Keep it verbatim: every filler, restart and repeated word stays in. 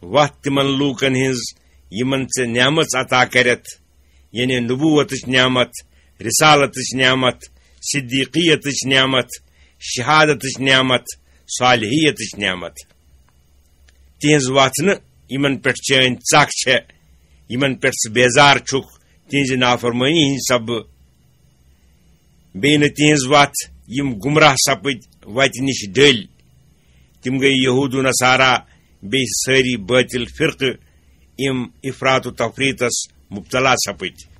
وَتھ تِمن لوٗکن ہٕنٛز یِمن ژےٚ نعمژ عطا کرٮ۪تھ، یعنی نبوتٕچ نعمت، رسالتٕچ نعمت، صدیقیتٕچ نعمت، شہادتٕچ نعمت، صالحیتٕچ نعمت۔ تِہنٛز وَتھ نہٕ یِمن پٮ۪ٹھ چٲنۍ ژکھ چھےٚ، یِمن پٮ۪ٹھ ژٕ بیزار چھُکھ، تِہنٛزِ نافرمٲنی ہٕنٛدِ سببہٕ۔ بیٚیہِ نہٕ تِہنٛز وَتھ یِم گمراہ سپٕدۍ وَتہِ نِش ڈٔلۍ۔ تِم گٔے یہوٗد و نصارا، بیٚیہِ سٲری بٲطِل فرقہٕ، یِم افراط و تفریطس مبتلا سپٕدۍ۔